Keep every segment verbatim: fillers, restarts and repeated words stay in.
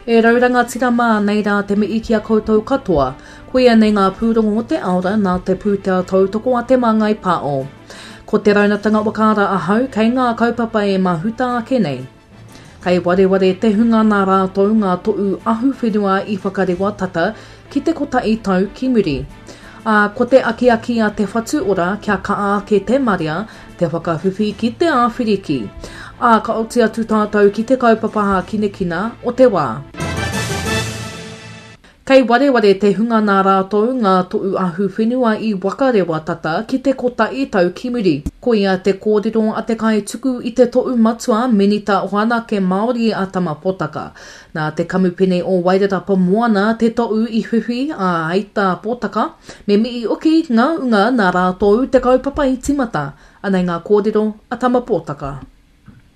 E rau rangatira mā, nei rā te mihi ki a koutou katoa. Koia nei ngā pūrongo o te aora nā te pūtea tautoko a Te Māngai Pāo. Ko te raunatanga whakaara ahau kei ngā kaupapa e mahuta ake nei. Kei wareware te hunga nā rātou ngā toʻu ahuwhenua i whakarewa tata ki te kotahi tau ki muri. Ā, ko te akiaki a Te Whatu Ora kia kaha ake te marea, te whakawhiwhi ki te āwhiriki. Ā, ka oti atu tātou ki te kaupapa hākinakina o te wā. Kei wareware te hunga nā rātou ngā toʻu ahuwhenua i wakarewa tata ki te kotahi tau ki muri. Koia te kōrero a te kaituku i te toʻu matua Minita Whanake Māori a Tama Potaka. Nā te kamupene o Wairarapa Moana te toʻu i whiwhi, ā, hei tā Potaka, me mihi hoki ngā unga nā rātou te kaupapa i tīmata. Anei ngā kōrero a Tama Potaka.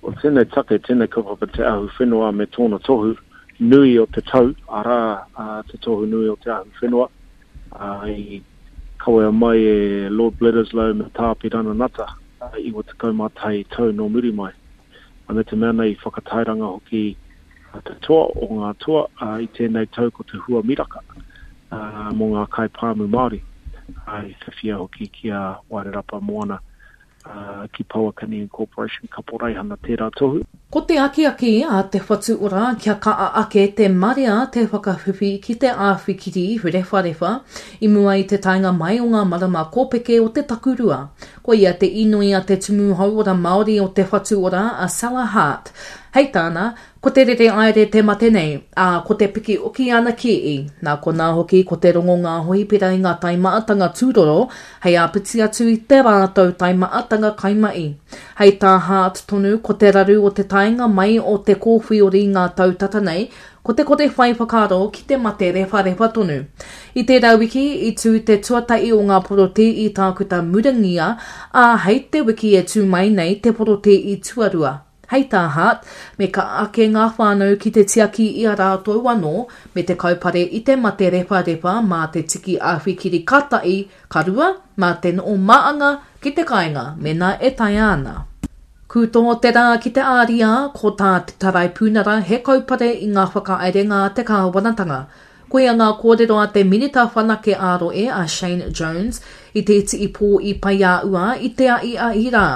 O tēnei take, tēnei kaupapa te ahu whenua me tōna tohu nui o te tau, arā, te tohu nui o te ahu whenua, i kawea mai e Lord Bledisloe me Tā Apirana Ngata, iwa tekau mā tahi tau nō muri mai. Me te mea nei i whakatairanga hoki te toa o ngā toa i tēnei tau ko te hua miraka mō ngā kaipāmu Māori, i whiwhia hoki ki a Wairarapa Moana ki Pouakani Incorporation Kaporeihana tērā tohu. Ko te akiaki a Te Whatu Ora kia kaha ake te marea te whakawhiwhi ki te āwhikiri rewharewha i mua i te taenga mai o ngā marama kōpeke o te takurua. Koia te inoi a te Tumu Hauora Māori o Te Whatu Ora a Sella Hart. Hei tāna, ko te rere aere te mate nei, ā, ko te piki oki ana kī. Nā konā hoki ko te rongo ngā hohipera i ngā taimaatanga tūroro hei āpiti atu i te rātou taimaatanga kaimahi. Hei tā Hart tonu ko te raru o te taenga mai o te kōwhiori i ngā tau tata nei, ko te kore whai whakaaro ki te mate rewharewha tonu. I tērā wiki, i tū te tuatahi o ngā porotē i Tākuta Murangia, ā, hei te wiki e tū mai nei te porotē i tuarua. Hei tā Hart, me kaha ake ngā whānau ki te tiaki i a rātou anō, me te kaupare i te mate rewharewha mā te tiki āwhikiri ka tahi, ka rua, mā te noho māanga ki te kāinga mēnā e taea ana. Kūtō te rā ki te āriā, ko tā te Taraipunara he kaupare i ngā whakaerenga a te kāwanatanga. Koia ngā kōrero a te Minita Whanake ā-Rohe a Shane Jones i te iti pō i Paiāua i te ahiahi rā.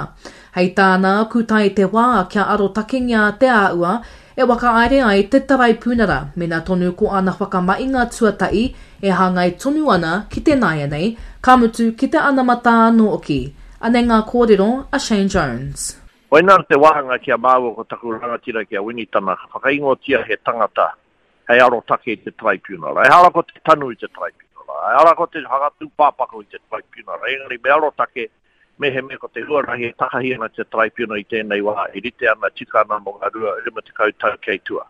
Hei tāna, kūtae te wā kia arotakengia te āua e whakahaere ai te Taraipunara, mena tonu ko ana whakamahinga tuatahi e hāngai tonu ana ki te nāianei, ka mutu ki te anamata anō hoki. Anei ngā kōrero a Shane Jones. Koinā te wāhanga ki a māua ko taku rangatira ki a Winitana, ka whakaingoatia he tangata hei arotake i te taraipiunara. Ehara ko te tanu i te taraipiunara, ehara ko te whakatūpāpaku i te taraipiunara, engari me arotake mehemea ko te huarahi e takahi ana te taraipiunara i tēnei wā e rite ana, tika ana mō ngā rua, rima tekau tau kei tua.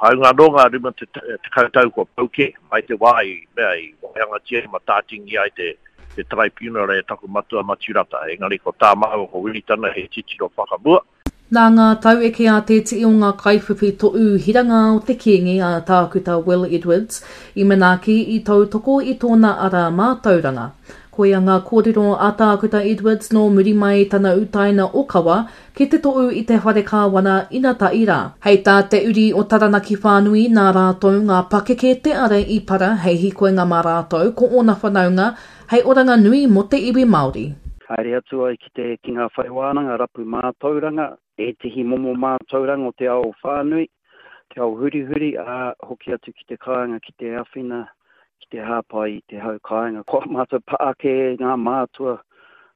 Hāunga anō ngā rima tekau tau kua pau kē mai te wā i mea i waihangatia i matātingia ai te te taraipiunara e taku matua Matiu Rata. Engari ko tā māua ko Wiritana he titiro whakamua. Nā ngā taueke a te tii o ngā kaiwhiwhi toʻu hiranga o te Kīngi a Tākuta Will Edwards i manaaki, i tautoko i tōna ara mātauranga. Koia ngā kōrero a Tākuta Edwards nō muri mai i tana utaina okawa ki te toʻu i te Whare Kāwana inatahi rā. Hei tā te uri o Taranaki whānui nā rātou ngā pakeke te ara i para hei hīkoinga mā rātou ko ōna whanaunga hei oranga nui mō te iwi Māori. Haere atu ai ki te ki ngā whare wānanga rapu mātauranga, ētehi momo mātauranga o te ao whānui, te ao hurihuri, ā, hoki atu ki te kāinga ki te awhina, ki te hāpai i te hau kāinga. Ko ā mātou pā ake ngā mātua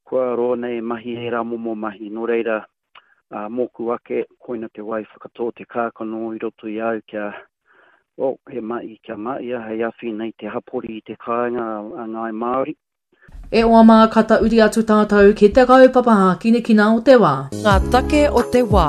kua roa nei e mahi ērā momo mahi, nō reira, ā, mōku ake, koina te wai whakatō te kākano i roto i au kia, well, he mahi kia mahia hei awhina i te hapori i te kāinga a Ngāi Māori. E oa mā, ka tauri atu tātou ki te kaupapa hākinakina o te wā. Ngā take o te wā,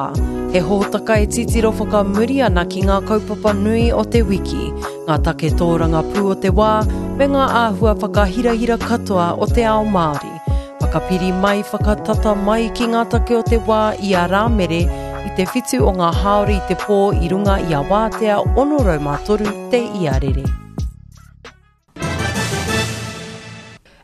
he hōtaka e titiro whakamuri ana ki ngā kaupapa nui o te wiki, ngā take tōrangapū o te wā, me ngā āhua whakahirahira katoa o te ao Māori. Whakapiri mai, whakatata mai ki ngā take o te wā i a Rāmere i te whitu o ngā hāori i te pō i runga i a Wātea ono rau mā toru te iarere.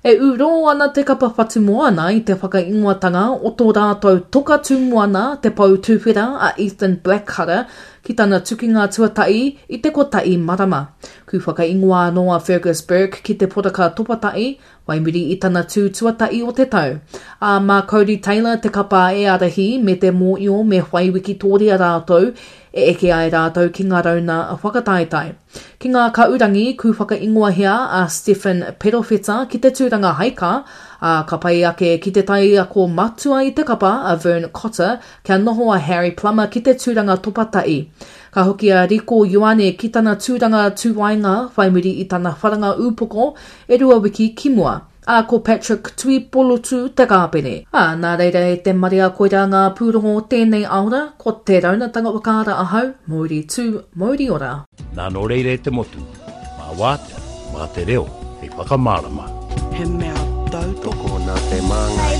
E ūrō ana te kapa Whatumoana i te whakaingoatanga o tō rātou toka tū moana, te pou tuwhera a Ethan Blackcutter, ki tana tukinga tuatahi i te kotahi marama. Ku whakaingoa anō a Fergus Burke ki te poraka topatahi, whai muri i tana tū tuatahi o te tau. Ā, mā Codie Taylor te kapa e ārahi me te mōio me whai wikitōria rātou e eke ai rātou ki ngā rauna whakataetae. Ki ngā kaurangi, ku whakaingoahia a Stephen Perofeta ki te tūranga haika, ā, ka pai ake ki te taiako matua i te kapa a Vern Cotter kia noho a Harry Plummer ki te tūranga topatahi. Ka hoki a Rieko Ioane ki tana tūranga tūwaenga whai muri i tana wharanga ūpoko e rua wiki ki mua. Ā, ko Patrick Tuipolotu te kāpene. Ā, nā reira e te marea koirā ngā pūrongo o tēnei aora, ko te raunatanga whakaara ahau, Mauri tū, mauri ora. Nā nō reira e te motu, mā wātea, mā te reo, hei whakamārama. He mea tautoko. Tokona te māngai.